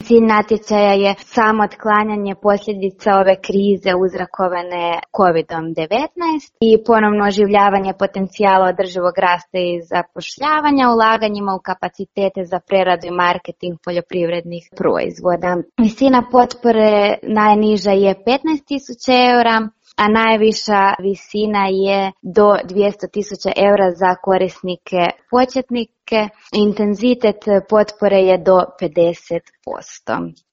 Cilj natječaja je samo otklanjanje posljedica ove krize uzrokovane COVID-19 i ponovno oživljavanje potencijala održivog rasta i zapošljavanja ulaganjima u kapacitete za preradu i marketing poljoprivrednih proizvoda. Visina potpore najniža je 15.000 eura, a najviša visina je do 200.000 eura za korisnike početnike. Intenzitet potpore je do 50%.